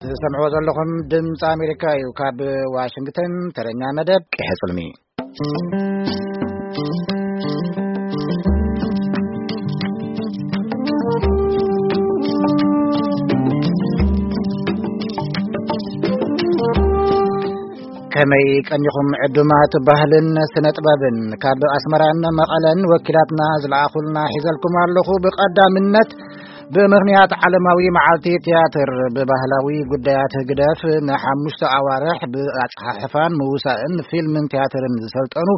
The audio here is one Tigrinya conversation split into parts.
ትሰምዕዎ ዘለኹም ድምፂ ኣሜሪካ እዩ። ካብ ዋሽንግተን ተረኛ መደብ ቀይሐ ጽልሚ። ከመይ ቀኒኹም ዕዱማት ባህልን ስነ ጥበብን? ካብ ኣስመራን መቐለን ወኪላትና ዝለኣኹልና ሒዘልኩም ኣለኹ። ብቐዳምነት ብምኽንያት ዓለማዊ መዓልቲ ትያትር ብባህላዊ ጉዳያት ህግደፍ ንሓሙሽተ ኣዋርሕ ብኣጸሓሕፋን ምውሳእን ፊልምን ትያትርን ዝሰልጠኑ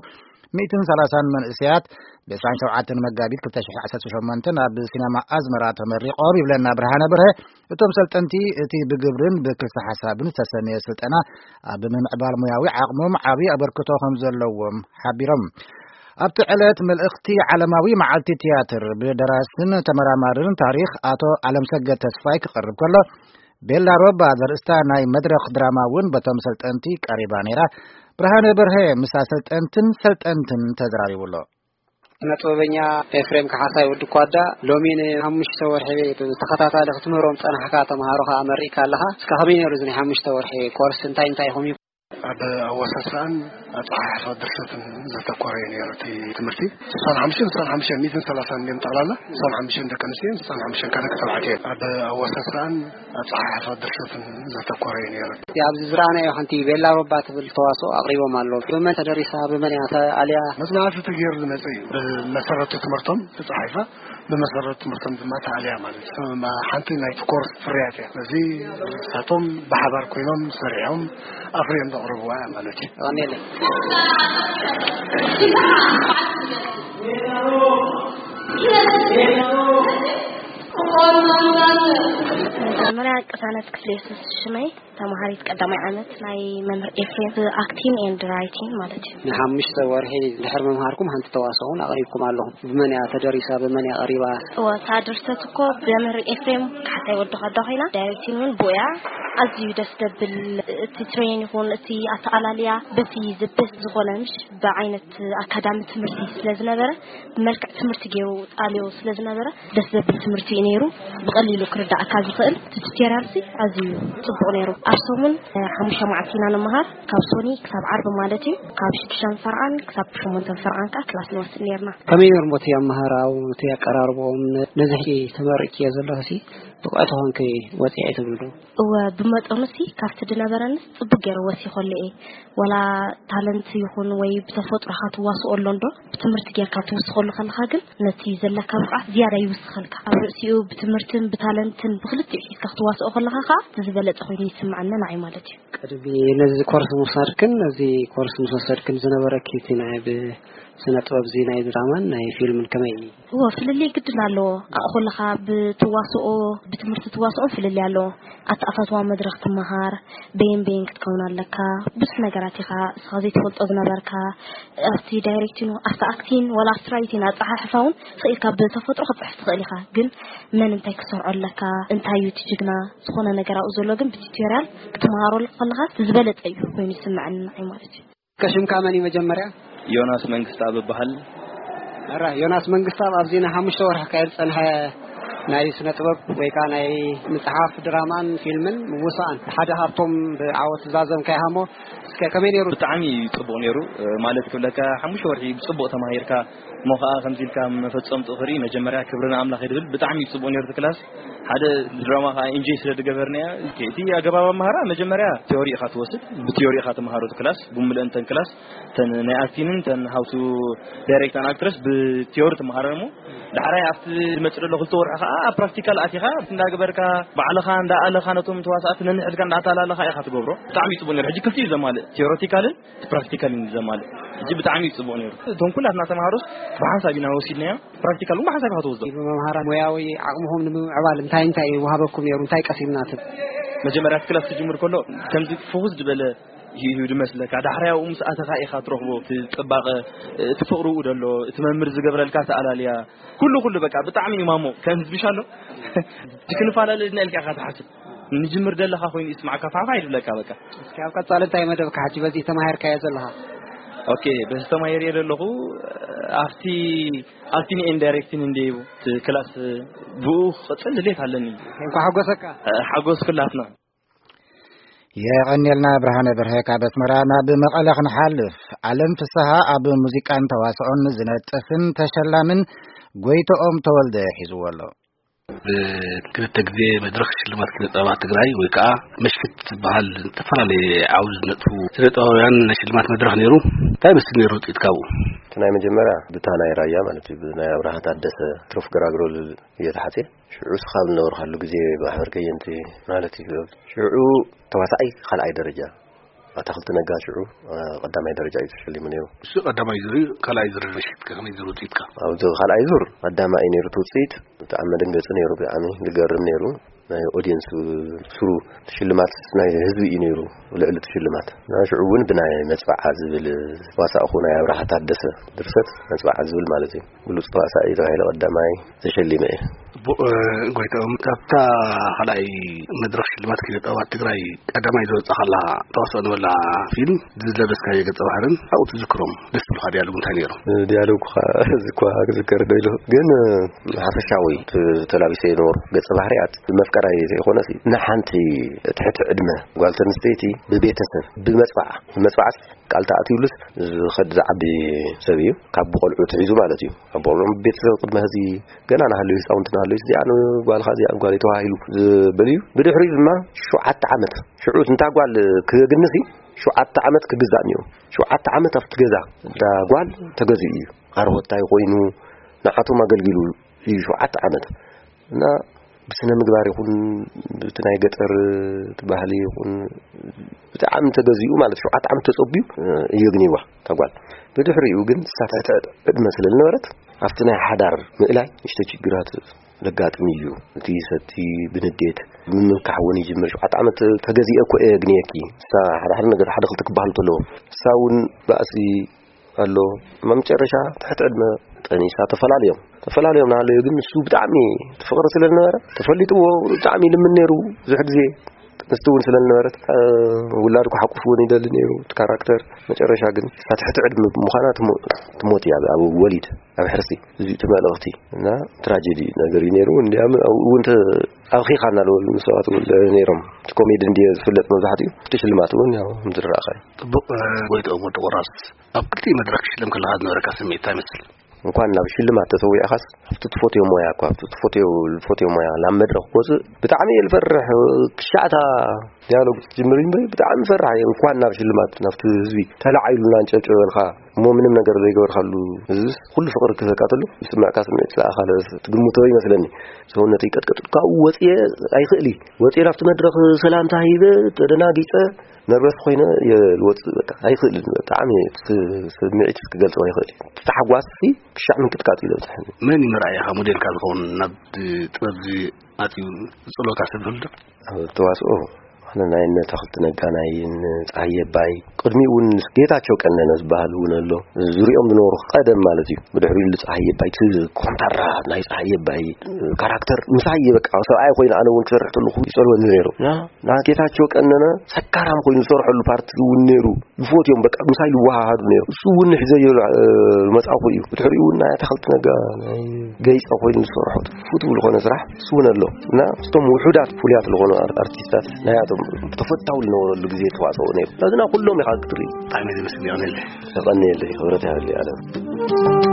ሚእትን ሰላሳን መንእሰያት ብ ዕስራን ሸውዓተን መጋቢት ክልተ ሽሕ ዓሰርተ ሸሞንተ ኣብ ሲነማ ኣዝመራ ተመሪቖም ይብለና ብርሃነ ብርሀ። እቶም ሰልጠንቲ እቲ ብግብርን ብክልተ ሓሳብን ዝተሰነየ ስልጠና ኣብ ምምዕባል ሙያዊ ዓቕሞም ዓብዪ ኣበርክቶ ከም ዘለዎም ሓቢሮም። ኣብቲ ዕለት መልእኽቲ ዓለማዊ መዓልቲ ትያትር ብደራስን ተመራማርን ታሪኽ ኣቶ ኣለምሰገድ ተስፋይ ክቐርብ ከሎ፣ ቤላ ሮባ ዘርእስታ ናይ መድረኽ ድራማ እውን በቶም ሰልጠንቲ ቀሪባ ነይራ። ብርሃነ በርሀ ምስ ኣሰልጠንትን ሰልጠንትን ተዘራሪቡ ኣሎ። ስነ ጥበበኛ ኤፍሬም ካሕሳይ ወዲ ኳዳ፣ ሎሚ ንሓሙሽተ ወርሒ ብተኸታታሊ ክትምህሮም ጸናሕካ ተምሃሮ ከኣ መሪእካ ኣለኻ። እስከ ከመይ ነይሩ እዚ ናይ ሓሙሽተ ወርሒ ኮርስ? እንታይ እንታይ ኢኹም ኣብ ኣወሳስኣን ኣጸሓሕፋ ድርሰትን ዘተኮረ እዩ ነይሩ እቲ ትምህርቲ። ስሳን ሓሙሽተን፣ ስሳን ሓሙሽተን፣ ሚእትን ሰላሳን እዮም ጠቕላላ። ስሳን ሓሙሽተን ደቂ ኣንስትዮ፣ ስሳን ሓሙሽተን ከኣ ደቂ ተባዕትዮ እዮም። ኣብ ኣወሳስኣን ኣጸሓሕፋ ድርሰትን ዘተኮረ እዩ ነይሩ። እቲ ኣብዚ ዝረኣናዮ ሓንቲ ቤላ ሮባ ትብል ተዋስኦ ኣቕሪቦም ኣለዉ። ብመን ተደሪሳ፣ ብመን እያ ተኣልያ? መጽናዕቲ ተገይሩ ዝመጸ እዩ። ብመሰረቱ ትምህርቶም ተጻሒፋ ብመሰረት ትምህርቶም ድማ ተኣልያ ማለት እዩ። ሓንቲ ናይቲ ኮርስ ፍርያት እያ። እዚ ንሳቶም ብሓባር ኮይኖም ሰሪሖም ኣፍርዮም ዘቕርብዋ እያ ማለት እዩ። የቐንየለይ። መጀመርያ ቅሳነት ክፍለ የሱስ ሽመይ፣ ተማሃሪት ቀዳማይ ዓመት ናይ መምህር ኤፍሬም፣ ኣክቲንግ ኤንድ ራይቲንግ ማለት እዩ። ንሓሙሽተ ወርሒ ድሕሪ ምምሃርኩም ሓንቲ ተዋስኦ እውን ኣቕሪብኩም ኣለኹም። ብመን እያ ተደሪሳ? ብመን እያ ቀሪባ? እወ፣ እታ ድርሰት እኮ ብመምህር ኤፍሬም ካሕሳይ ወዲ ኳዳ ኮይና፣ ዳይሬክቲንግ እውን ብኡ እያ። ኣዝዩ ደስ ዘብል፣ እቲ ትሬን ይኹን እቲ ኣተኣላልያ በቲ ዝበስ ዝኾነ፣ ምሽ ብዓይነት ኣካዳሚ ትምህርቲ ስለ ዝነበረ፣ ብመልክዕ ትምህርቲ ገይሩ ጣልዮ ስለ ዝነበረ፣ ደስ ዘብል ትምህርቲ እዩ ነይሩ። ብቐሊሉ ክርዳእካ ዝኽእል እቲ ቱቶሪያል ሲ ኣዝዩ ጽቡቕ ነይሩ። ኣብ ሰሙን፣ እ፣ ሓሙሽተ መዓልቲ ኢና ንመሃር። ካብ ሶኒ ክሳብ ዓርቢ ማለት እዩ። ካብ ሽዱሽተን ፈርቓን ክሳብ ሸሞንተን ፈርቓን ከኣ ክላስ ንወስድ ነይርና። ከመይ ነይሩ እቲ ኣመሃራኡ፣ እቲ ኣቀራርባኦም? ነ-፣ ነዚ ሕጂ ተመሪቅዮ ዘለኺ ሲ ብቕዕቲ ኮንኪ ወጺዐ ትብሉ ዶ? እወ፣ ብመጠኑ ሲ ካብቲ ዝነበረንስ ጽቡቅ ገይረ ወሲኸሉ እየ። ወላ ታለንት ይኹን ወይ ብተፈጥሮኻ ትዋስኦ ኣሎ እንዶ፣ ብትምህርቲ ጌርካ ትውስኸሉ ከለኻ ግን ነቲ ዘለካ ብቕዓት ዝያዳ ይውስኸልካ። ኣብ ርእሲኡ ብትምህርትን ብታለንትን ብክልቲኡ ሒዝካ ክትዋስኦ ከለኻ ከኣ እቲ ዝበለጸ ኮይኑ ይስምዓኒ ንዓይ ማለት እዩ። ቅድሚ ነዚ ኮርስ ምውሳድክን ነዚ ኮርስ ምስ ወሰድክን ዝነበረኪ እቲ ናይ ብ-፣ ስነ ጥበብ እዚ ናይ ድራማን ናይ ፊልምን ከመይ እዩ? እወ፣ ፍልልይ ግድን ኣለዎ። ኣእኹልኻ ብትዋስኦ፣ ብትምህርቲ ትዋስኦ ፍልልይ ኣለዎ። ኣተኣፋፍዋ መድረኽ ትመሃር፣ በየን በየን ክትከውን ኣለካ፣ ብዙሕ ነገራት ኢኻ እስኻ ዘይትፈልጦ ዝነበርካ፣ ኣብቲ ዳይሬክቲን፣ ኣብቲ ኣክቲን፣ ወላ ኣብቲ ራይቲን ኣጸሓሕፋ እውን ስቕ ኢልካ ብተፈጥሮ ክትጽሕፍ ትኽእል ኢኻ። ግን መን እንታይ ክሰርዖ ኣለካ፣ እንታይ እዩ እቲ ጅግና፣ ዝኾነ ነገር ኣብኡ ዘሎ ግን ብቲዩቶርያል ክትመሃሮ ከለኻ እቲ ዝበለጸ እዩ ኮይኑ ይስምዐኒ ንዓይ ማለት እዩ። ከሽምካ መን እዩ መጀመርያ? ዮናስ መንግስተኣብ እበሃል። ኣራ፣ ዮናስ መንግስተኣብ፣ ኣብዚ ንሓሙሽተ ወርሒ ክካየድ ዝጸንሐ ናይ ስነ ጥበብ ወይ ከኣ ናይ ምጽሓፍ፣ ድራማን ፊልምን ምውሳኣን ሓደ ካብቶም ብዓወት ዝዛዘምካ ኢኻ እሞ፣ እስከ ከመይ ነይሩ? ብጣዕሚ ጽቡቕ ነይሩ። እ፣ ማለት ክብለካ፣ ሓሙሽተ ወርሒ ብጽቡቕ ተማሂርካ፣ እሞ ከኣ ከምዚ ኢልካ መፈጸምትኡ ክርኢ መጀመርያ ክብሪ ንኣምላኽ እየ ዝብል። ብጣዕሚ ጽቡቕ ነይሩ እቲ ክላስ። ሓደ ድራማ ከኣ ኢንጆይ ስለ ዝገበርናያ፣ እቲ ኣገባብ ኣምሃራ መጀመርያ ቲዮሪ ኢኻ ትወስድ፣ ብቲዮሪ ኢኻ ትመሃሮ እቲ ክላስ፣ ብምልአን እተን ክላስ፣ እተን ናይ ኣክቲንን እተን ሃው ቱ ዳይሬክት ኣን ኣክትረስ ብቲዮሪ ትመሃረን እሞ፣ ዳሕራይ ኣብቲ ዝመጽእ ዘሎ ክልተ ወርሒ ከኣ ኣብ ፕራክቲካል ኣቲኻ እንዳገበርካ፣ ባዕልኻ እንዳኣለኻ ነቶም ተዋሳእቲ ነንሕድካ እንዳተላለኻ ኢኻ ትገብሮ። ብጣዕሚ ጽቡቕ ነይሩ። ሕጂ ክልቲኡ ዘማልእ፣ ቲዮሪቲካልን ፕራክቲካል እዩ ዘማልእ። ሕጂ ብጣዕሚ እዩ ጽቡቕ ነይሩ። እቶም ኩላትና ተምሃሮስ ብሓንሳብ ኢና ወሲድናዮ። ፕራክቲካል እውን ብሓንሳብ ኢኻ ትወስዶ። ብመምሃራን ሞያዊ ዓቕምኹም ንምምዕባል እንታይ እንታይ ወሃበኩም ነይሩ? እንታይ ቀሲምና ትብል? መጀመርያ እቲ ክላስ ክጅምር ከሎ ከምዚ ፍኹስ ዝበለ ህይህዩ ዝመስለካ፣ ዳሕራይ ኣብኡ ምስ ኣተኻ ኢኻ ትረኽቦ። እቲ ጽባቐ፣ እቲ ፍቕሪ እውን ዘሎ፣ እቲ መምህር ዝገብረልካ ኣተኣላልያ፣ ኩሉ ኩሉ በቃ ብጣዕሚ እዩ ማሞ። ከም ህዝቢ ሻሎ ክንፈላለ ድና ኢልካ ኢኻ ትሓስብ። ንጅምር ደለኻ ኮይኑ ይስማዕካ፣ ፋሕፋሕ ይብለካ በቃ። እስኪ ኣብ ቀጻሊ እንታይ መደብካ ሕጂ በዚ ተማሂርካዮ ዘለኻ? ኦኬ፣ በዚ ተማሂርዮ ዘለኹ ኣብቲ ኣክቲንግ ኤንድ ዳይሬክቲንግ እንደ እዩ እቲ ክላስ ብኡ ክቕጽል ድሌት ኣለኒ። እንኳ ሓጎሰካ። ሓጎስ ኩላትና። የቐንየልና ብርሃነ በርሀ ካብ ኣስመራ። ናብ መቐለ ክንሓልፍ፣ ኣለም ፍስሃ ኣብ ሙዚቃን ተዋስኦን ዝነጥፍን ተሸላምን ጎይተኦም ተወልደ ሒዝዎ ኣሎ። ብክልተ ግዜ መድረኽ ሽልማት ስነ ጥበባት ትግራይ ወይ ከዓ መሽክት ዝበሃል ዝተፈላለየ ዓውዲ ዝነጥፉ ስነ ጥበባውያን ናይ ሽልማት መድረኽ ነይሩ። እንታይ መስል ነይሩ ውፅኢት ካብኡ? እቲ ናይ መጀመርያ ብታ ናይ ራያ ማለት እዩ፣ ብናይ ኣብርሃ ታደሰ፣ ትሩፍ ገራግሮ እየተሓጽየ። ሽዑ ስኻብ ዝነበርካሉ ግዜ ማሕበር ከየንቲ ማለት እዩ። ሽዑ ተዋሳኣይ ካልኣይ ደረጃ፣ ኣታኽልቲ ነጋ ሽዑ፣ አ፣ ቀዳማይ ደረጃ እዩ ተሸሊሙ ነይሩ። እሱ ቀዳማይ ዙር እዩ። ካልኣይ ዙር ምሽት ከመይ ዙር ውፅኢትካ? ኣብዚ ካልኣይ ዙር ቀዳማይ እዩ ነይሩ እቲ ውፅኢት። ብጣዕሚ መደንገፂ ነይሩ፣ ብጣዕሚ ዝገርም ነይሩ። ናይ ኦዲየንስ ስሩ ሽልማት ናይ ህዝቢ እዩ ነይሩ፣ ልዕሊ እቲ ሽልማት። እና ሽዑ እውን ብናይ መፅባዓ ዝብል ዋሳእኹ ናይ ኣብርሃ ታደሰ ድርሰት መፅባዓ ዝብል ማለት እዩ። ብሉፅ ተዋሳኢ ተባሂለ ቀዳማይ ተሸሊመ እየ። ቡ-፣ እ፣ ጎይታኦም፣ ካብታ ካልኣይ መድረኽ ሽልማት ኪነ ጥበባት ትግራይ ቀዳማይ ዝወጻኻላ ተዋስኦ ንበላ ፊልም ዝለበስካዮ ገጸ ባህርን ኣብኡ ትዝክሮም ደስ ዝብሉኻ ዲያሎግ እንታይ ነይሮም? ዲያሎግ ኸ-፣ እዚ እኳ ክዝከር ዶ ኢሉ፣ ግን፣ እ፣ ሓፈሻዊ ት-፣ ተላቢሰ የነበሩ ገጸ ባህርያት መፍቀራይ ዘይኮነስ ንሓንቲ ትሕቲ ዕድመ ጓል ተንስተይቲ ብቤተሰብ ብመጽባዓ፣ ብመጽባዓ ቃል ተኣትዩሉስ ዝኸድ ዝዓቢ ሰብ እዩ። ካብ ቆልዑ ትሒዙ ማለት እዩ። ካብ ቆልዑ ቤተሰብ ቅድሚ ሕዚ ገና ናሃለዩ ህፃውንቲ ናሃለዩ እዚኣ ንጓልኻ እዚኣ ንጓለይ ተባሂሉ ዝብል እዩ። ብድሕሪኡ ድማ ሸውዓተ ዓመት ሽዑ እንታ ጓል ክግንስ እዩ ሸውዓተ ዓመት ክግዛእ እኒኦ። ሸውዓተ ዓመት ኣብቲ ገዛ እንዳ ጓል ተገዚኡ እዩ። ኣርሆታይ ኮይኑ ንዓቶም ኣገልጊሉ እዩ ሸውዓተ ዓመት። እና ብስነ ምግባር ይኹን ብቲ ናይ ገጠር እቲ ባህሊ ይኹን ብጣዕሚ ተገዚኡ ማለት ሸውዓተ ዓመት ተጸቢዩ፣ እ፣ እዩ ግኒዋ እታ ጓል። ብድሕሪኡ ግን ሳተተ ዕድመ ስለ ዝነበረት ኣብቲ ናይ ሓዳር ምእላይ ንእሽቶ ችግራት ዘጋጥም እዩ። እቲ ሰቲ ብንዴት ምምካሕ እውን ይጅምር። ሸውዓተ ዓመት ተገዚአ እኮ እየ ግንየኪ። ንሳ ሓደ ሓደ ነገር ሓደ ክልተ ክበሃል እንተለዎ ንሳ እውን ባእሲ ኣሎ። መጨረሻ ትሕቲ ዕድመ ጠኒሳ ተፈላለዮም። ተፈላለዮም ናሃለዩ ግን ንሱ ብጣዕሚ ትፍቕሪ ስለ ዝነበረ ተፈሊጥዎ ብጣዕሚ ይልምን ነይሩ። ብዙሕ ግዜ ጥንስቲ እውን ስለ ዝነበረት፣ እ፣ ውላድ ክሓቁፍ እውን ይደሊ ነይሩ እቲ ካራክተር። መጨረሻ ግን እሳ ትሕቲ ዕድመ ብምዃና ትሞ-፣ ትሞት እያ ኣብ ወሊድ፣ ኣብ ሕርሲ። እዚ እቲ መልእኽቲ እና ትራጀዲ ነገር እዩ ነይሩ። እንዲያም ኣብኡ እውን ተ-፣ ኣብኺኻ እናበሉ ሰባት እውን ነይሮም። እቲ ኮሜዲ እንድየ ዝፍለጥ መብዛሕትኡ፣ እቲ ሽልማት እውን ያው ምዝራእኻ እዩ። ጽቡቕ፣ እ፣ ጎይትኦም ወዲ ቆራስ፣ ኣብ ክልቲኡ መድረኽ ክትሽለም ከለኻ ዝነበረካ ስምዒት እንታይ ይመስል? እንኳን ናብ ሽልማት ተሰዊዕኻስ ኣብቲ ትፈትዮ ሞያ እኳ፣ ኣብቲ ትፈትዮ፣ ዝፈትዮ ሞያ ናብ መድረኽ ክወፅእ ብጣዕሚ እየ ዝፈርሕ። ክሻዕታ ዲያሎግ ትጅምር እምበይ ብጣዕሚ ፈራሕ እየ። እንኳን ናብ ሽልማት ናብቲ ህዝቢ ተላዒሉና እንጨብጨበልካ እሞ ምንም ነገር ዘይገበርካሉ ህዝብስ ኩሉ ፍቕሪ ክህበካ ተሎ ዝስምዕካ ስምዒት ስለኣኻ ትግምቶ ይመስለኒ። ሰውነተይ ቀጥቀጥ ካብኡ ወፅየ ኣይኽእል እዩ። ወፅየ ናብቲ መድረኽ ሰላምታ ሂበ ተደናጊፀ ነርቨስ ኮይነ እየ ዝወፅእ፣ በቃ ኣይኽእልን። ብጣዕሚ እቲ ስምዒት ክገልፆ ኣይኽእል እዩ። እቲ ታሕጓስ ሲ ክሻዕ ምንቅጥቃጥ እዩ ዝበፅሐኒ። መን እዩ መርኣያኻ፣ ሞዴልካ ዝኸውን ናብ ጥበብ እዚ ኣትዩ ዝፅልወካ ሰብ ይህሉ ዶ? ኣብ ተዋስኦ ኣነ ናይ እነ ተኽልቲ ነጋ ናይ እነ ፀሃየ ኣባይ፣ ቅድሚኡ እውን ጌታቸው ቀነነ ዝበሃል እውን ኣሎ። ዙሪኦም ዝነበሩ ቀደም ማለት እዩ። ብድሕሪኡ ንፀሃየ ኣባይ፣ እቲ ኮንታራ ናይ ፀሃየ ኣባይ ካራክተር ምሳይ እየ፣ በቃ ሰብኣይ ኮይኑ ኣነ እውን ክሰርሕ ተለኹ ይፀልወኒ ነይሩ። እና ና ጌታቸው ቀነነ ሰካራም ኮይኑ ዝሰርሐሉ ፓርቲ እውን ነይሩ። ዝፈትዮም በቃ ምሳይ ዝወሃሃዱ ነይሩ። እሱ እውን ሕዘዮ፣ እ፣ መጻኹ እዩ። ብድሕሪኡ እውን ናይ ኣታኽልቲ ነጋ፣ ናይ ገይጸ ኮይኑ ዝሰርሖ ፍቱው ዝኾነ ስራሕ እሱ እውን ኣሎ። እና እቶም ውሑዳት ፍሉያት ዝኾኑ ኣር-፣ ኣርቲስታት ናያቶም ተፈታዊ ዝነበረሉ ግዜ ተዋጽኦ ነይሩ። ስለዚ ናብ ኩሎም ኢኻ ክትርኢ። ብጣዕሚ ደስ ይብል። የቐንየለይ። የቐንየለይ። ክብረት ይሃበለይ ኣለም።